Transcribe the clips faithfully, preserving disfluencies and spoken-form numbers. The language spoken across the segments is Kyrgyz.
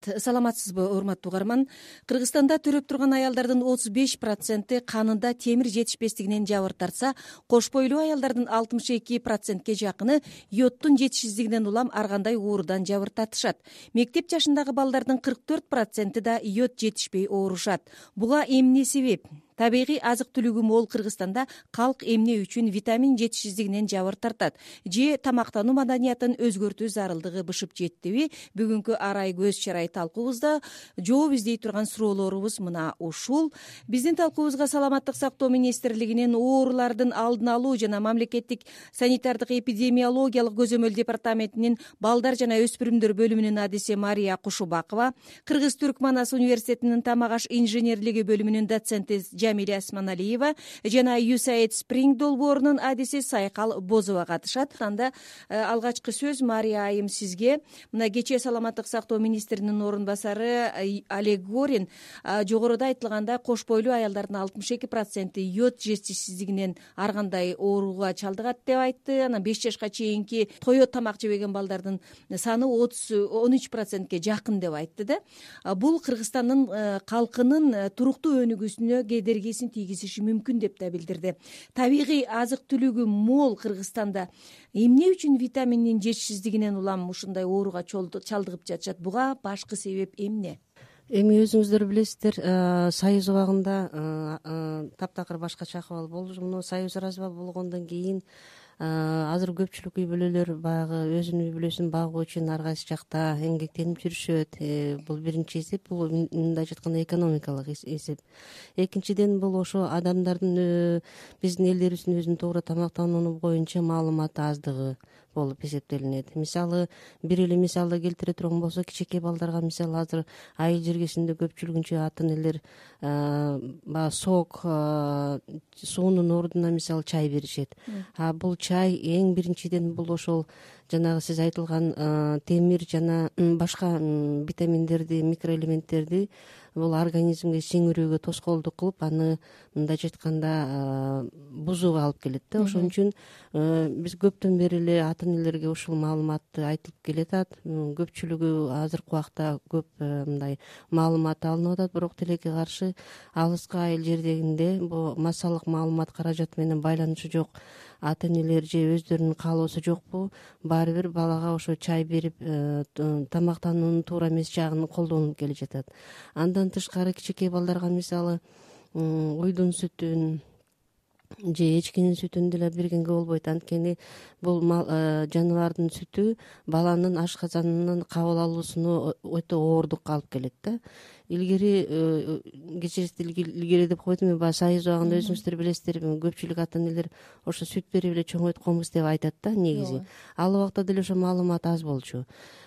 Саламатсызбы, урматтуу угарман? Кыргызстанда төрөп турган аялдардын отуз беш проценти канында темир жетишпестигинен жабыр тартса, кош бойлуу аялдардын алтымыш эки процентке жакыны йодтун жетишсиздигинен улам ар кандай оорудан жабыр тартышат. Мектеп жашындагы балдардын кырк төрт проценти да йод жетишпей оорушат. Буга эмне себеп? Табигый азык-түлүгү мол Кыргызстанда калк эмне үчүн витамин жетишсиздигинен жабыр тартат? Же тамактануу маданиятын өзгөртүү зарылдыгы бышып жеттиби? Бүгүнкү арай көз чарай талкуубузда жооп издей турган суроолорубуз мына ушул. Биздин талкуубузга Саламаттык сактоо министрлигинин оорулардын алдын алуу жана мамлекеттик санитардык эпидемиологиялык көзөмөл департаментинин балдар жана өспүрүмдөр бөлүмүнүн адиси Мария Кушубакова, Кыргыз-Түрк Манас университетинин тамак аш инженерлиги бөлүмүнүн доценти Жамиля Осмоналиева жана ю эс эй ай ди Спринг долбоорунун адиси Сайкал Бозова катышат. Анда алгачкы сөз Мария айым сизге. Мына кечээ Саламаттык сактоо министринин орун басары Олег Горин жогоруда айтылганда кош бойлуу аялдардын алтымыш эки проценти йод жетишсиздигинен ар кандай ооруга чалдыгат деп айтты. Анан беш жашка чейинки тое тамак жебеген балдардын саны отуз он үч процентке жакын деп айтты да. Бул Кыргызстандын калкынын туруктуу өнүгүүсүнө кедергисин тийгизиши мүмкүн деп да билдирди. Табигый азык-түлүгү мол Кыргызстанда эмне үчүн витаминдин жетишсиздигинен улам ушундай ооруга чалдыгып жатышат? Буга башкы себеп эмне? Эми өзүңүздөр билесиздер, Союз убагында таптакыр башкача акыбал болчу. Муну Союз развал болгондон кийин азыр көпчүлүк үй бүлөлөр баягы өзүнүн үй бүлөсүн багуу үчүн ар кайсы жакта эмгектенип жүрүшөт. Бул биринчи эсеп, бул мындай айтканда экономикалык эсеп. Экинчиден, бул ошо адамдардын биздин элдерибиздин өзүнүн туура тамактануу боюнча маалыматы аздыгы болуп эсептелинет. Мисалы, бир эле мисалды келтире турган болсок, кичинекей балдарга мисалы азыр айыл жергесинде көпчүлүгүнчө ата энелер баягы сок суунун ордуна мисалы чай беришет. А бул чай эң биринчиден бул ошол жанагы сиз айтылган темир жана башка витаминдерди, микроэлементтерди бул организмге сиңирүүгө тоскоолдук кылып, аны мындайча айтканда бузууга алып келет да. Ошон үчүн биз көптөн бери эле ата энелерге ушул маалыматты айтып келатат. Көпчүлүгү азыркы убакта көп мындай маалымат алынып атат, бирок тилекке каршы алыскы айыл жердегинде бул массалык маалымат каражаты менен байланышы жок ата энелер же өздөрүнүн каалоосу жокпу, баары бир балага ошо чай берип тамактануунун туура эмес жагын колдонуп келе жатат. Андан тышкары кичинекей балдарга мисалы уйдун сүтүн же эчкинин сүтүн деле бергенге болбойт. Анткени бул жаныбардын сүтү баланын ашказанынын кабыл алуусуну өтө оордукка алып келет да. Илгери кечирисиз илгери деп койдум, мен баягы Союз убагында өзүңүздөр билесиздер, көпчүлүк ата энелер ошо сүт берип эле чоңойтконбуз деп айтат да негизи. Ал убакта деле ошо маалымат аз болчу.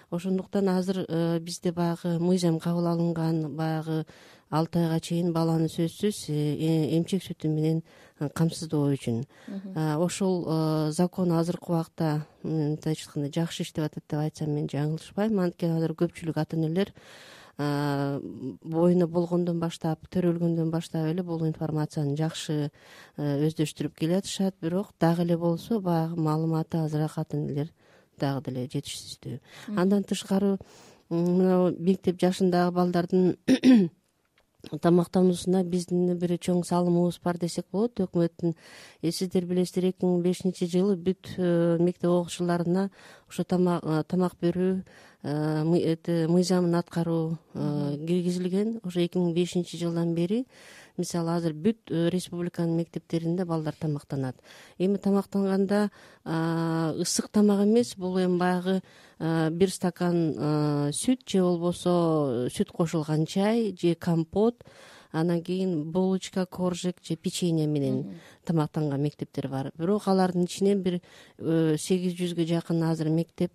Ошондуктан азыр бизде баягы мыйзам кабыл алынган, баягы алты айга чейин баланы сөзсүз эмчек сүтү менен камсыздоо үчүн. Ошол закон азыркы убакта мындайча айтканда жакшы иштеп атат деп айтсам мен жаңылышпайм. Анткени азыр көпчүлүк ата энелер боюна болгондон баштап, төрөлгөндөн баштап эле бул информацияны жакшы өздөштүрүп келатышат. Бирок дагы эле болсо баягы маалыматы азыраак ата энелер дагы деле жетишсиздүү. Андан тышкары мына мектеп жашындагы балдардын тамактануусуна биздин бир чоң салымыбыз бар десек болот. Өкмөттүн, сиздер билесиздер, эки миң бешинчи жылы бүт мектеп окуучуларына ошо тамак берүү мыйзамын аткаруу киргизилген. Ошо эки миң бешинчи жылдан бери мисалы азыр бүт республиканын мектептеринде балдар тамактанат. Эми тамактанганда ысык тамак эмес, бул эми баягы бир стакан сүт же болбосо сүт кошулган чай же компот, анан кийин булочка, коржик же печенье менен тамактанган мектептер бар. Бирок алардын ичинен бир сегиз жүзгө жакын азыр мектеп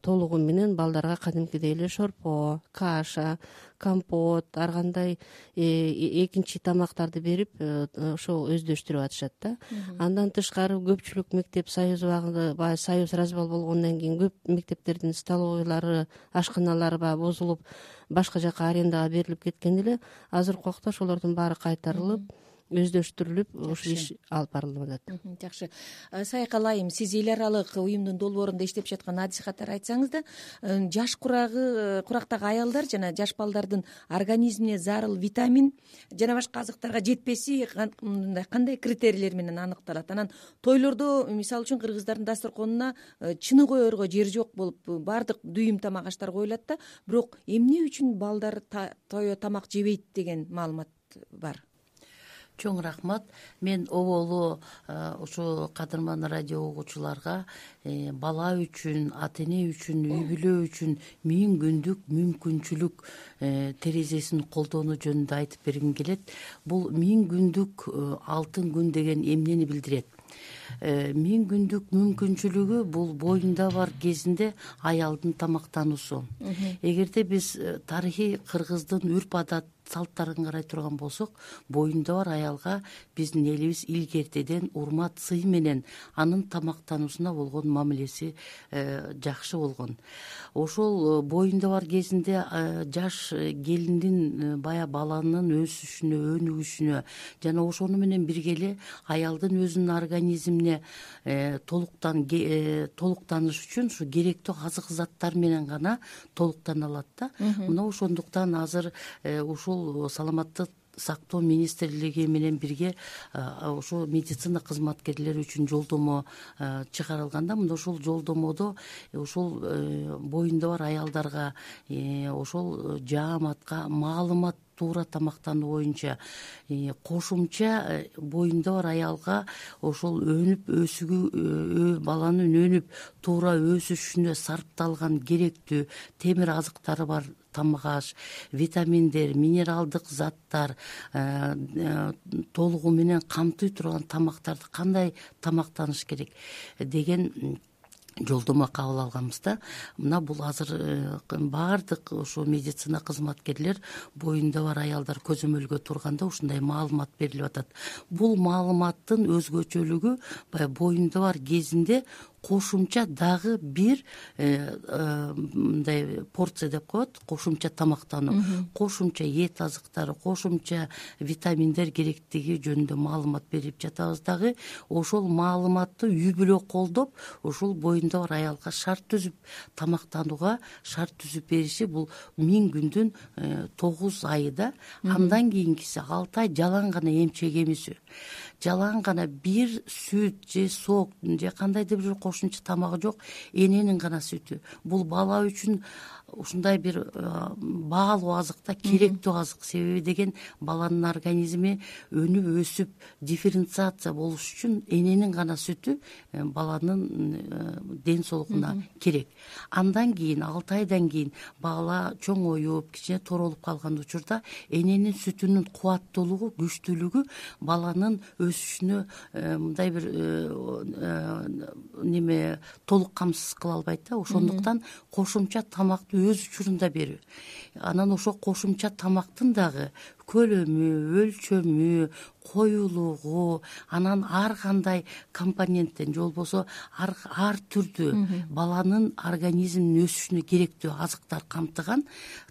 толугу менен балдарга кадимкидей эле шорпо, каша, компот, ар кандай экинчи тамактарды берип ошол өздөштүрүп атышат да. Андан тышкары көпчүлүк мектеп Союз убагында, баягы Союз развал болгондон кийин көп мектептердин столовойлары, ашканалары баягы бузулуп, башка жака арендага берилип кеткен эле. Азыркы убакта ошолордун баары кайтарылып, өздөштүрүлүп ушул иш алып барылып атат. Жакшы. Сайкал айым, сиз эл аралык уюмдун долбоорунда иштеп жаткан адис катары айтсаңыз да, жаш курагы курактагы аялдар жана жаш балдардын организмине зарыл витамин жана башка азыктарга жетпеси мындай кандай критерийлер менен аныкталат? Анан тойлордо мисалы үчүн кыргыздардын дасторконуна чыны коерго жер жок болуп баардык дүйүм тамак аштар коюлат да, бирок эмне үчүн балдар тое тамак жебейт деген маалымат бар. Чоң рахмат. Мен оболу ушу кадырман радио угуучуларга бала үчүн, ата эне үчүн, үй бүлө үчүн миң күндүк мүмкүнчүлүк терезесин колдонуу жөнүндө айтып бергим келет. Бул миң күндүк алтын күн деген эмнени билдирет? Миң күндүк мүмкүнчүлүгү бул боюнда бар кезинде аялдын тамактануусу. Эгерде биз тарыхый кыргыздын үрп адат салттарын карай турган болсок, боюнда бар аялга биздин элибиз илгертеден урмат, сый менен анын тамактануусуна болгон мамилеси жакшы болгон. Ошол боюнда бар кезинде жаш келиндин бая баланын өсүшүнө, өнүгүшүнө жана ошону менен бирге эле аялдын өзүнүн организмине толуктан толуктаныш үчүн ушу керектүү азык заттар менен гана толуктана алат да. Мына ошондуктан азыр ушул саламаттык сактоо министрлиги менен бирге ошо медицина кызматкерлери үчүн жолдомо чыгарылганда, мына ошол жолдомодо ошол боюнда бар аялдарга ошол жааматка маалымат туура тамактануу боюнча кошумча боюнда бар аялга ошол өнүп өсүгү баланын өнүп туура өсүшүнө сарпталган керектүү темир азыктары бар тамак аш, витаминдер, минералдык заттар толугу менен камтый турган тамактарды кандай тамактаныш керек деген жолдомо кабыл алганбыз да. Мына бул азыр баардык ошо медицина кызматкерлер боюнда бар аялдар көзөмөлгө турганда ушундай маалымат берилип атат. Бул маалыматтын өзгөчөлүгү баягы боюнда бар кезинде кошумча дагы бир мындай порция деп коет, кошумча тамактануу, кошумча эт азыктары, кошумча витаминдер керектиги жөнүндө маалымат берип жатабыз дагы. Ошол маалыматты үй бүлө колдоп, ошол боюнда бар аялга шарт түзүп тамактанууга шарт түзүп бериши бул миң күндүн тогуз айда. Андан кийинкиси алты ай жалаң гана эмчек эмизүү, жалаң гана бир сүт же сок же кандайдыр бир кошумча тамагы жок эненин гана сүтү. Бул бала үчүн ушундай бир баалуу азык да, керектүү азык. Себеби деген баланын организми өнүп өсүп дифференциация болуш үчүн эненин гана сүтү баланын ден соолугуна керек. Андан кийин алты айдан кийин бала чоңоюп, кичине торолуп калган учурда эненин сүтүнүн кубаттуулугу, күчтүүлүгү баланын өсүшүнө мындай бир неме толук камсыз кыла албайт да. Ошондуктан кошумча тамакты өз учурунда берүү. Анан ошо кошумча тамактын дагы көлөмү, өлчөмү, коюлугу, анан ар кандай компоненттен же болбосо ар, ар түрдүү баланын организминин өсүшүнө керектүү азыктар камтыган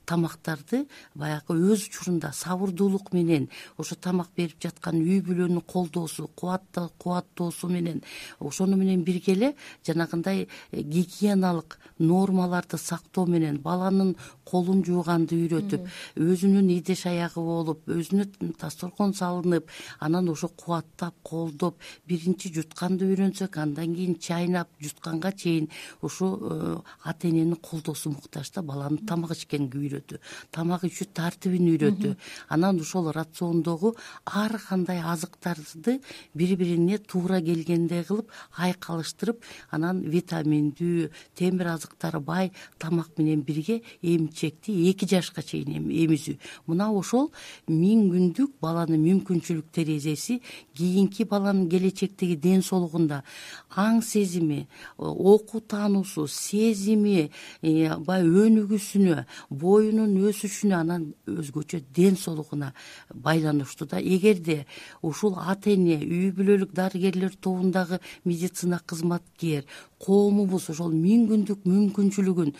тамактарды баягы өз учурунда сабырдуулук менен ошо тамак берип жаткан үй бүлөнүн колдоосу, кубатты кубаттоосу менен ошону менен бирге эле жанагындай гигиеналык нормаларды сактоо менен баланын колун жууганды үйрөтүп, өзүнүн идиш аягы болуп, өзүнө дасторкон салынып, анан ошо кубаттап, колдоп, биринчи жутканды үйрөнсөк, андан кийин чайнап, жутканга чейин ошо ата эненин колдоосу муктаж да, баланын тамак ичкенге үйрөтүү, тамак ичүү тартибин үйрөтүү. Анан ошол рациондогу ар кандай азыктарды бири-бирине туура келгендей кылып айкалыштырып, анан витаминдүү, темир азыктары бай тамак менен бирге эмчекти эки жашка чейин эмизүү. Мына ошол миң күндүк баланын мүмкүнчүлүк терезеси кийинки баланын келечектеги ден соолугунда аң сезими, окуу таануусу, сезими, бай өнүгүүсүнө, бою боюнун өсүшүнө, анан өзгөчө ден соолугуна байланыштуу да. Эгерде ушул ата эне, үй бүлөлүк дарыгерлер тобундагы медицина кызматкер, коомубуз ошол миң күндүк мүмкүнчүлүгүн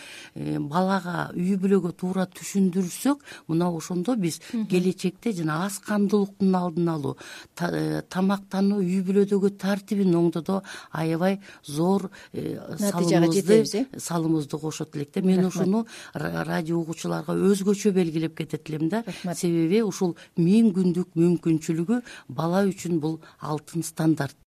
балага, үй бүлөгө туура түшүндүрсөк, мына ошондо биз келечекте жана аз кандуулуктун алдын алуу, тамактануу, үй бүлөдөгү тартибин оңдоодо аябай зор натыйжага жетебиз. салымыбызды кошот элек да. Мен ушуну радио угуучуларга өзгөчө белгилеп кетет элем да. Себеби ушул миң күндүк мүмкүнчүлүгү бала үчүн бул алтын стандарт.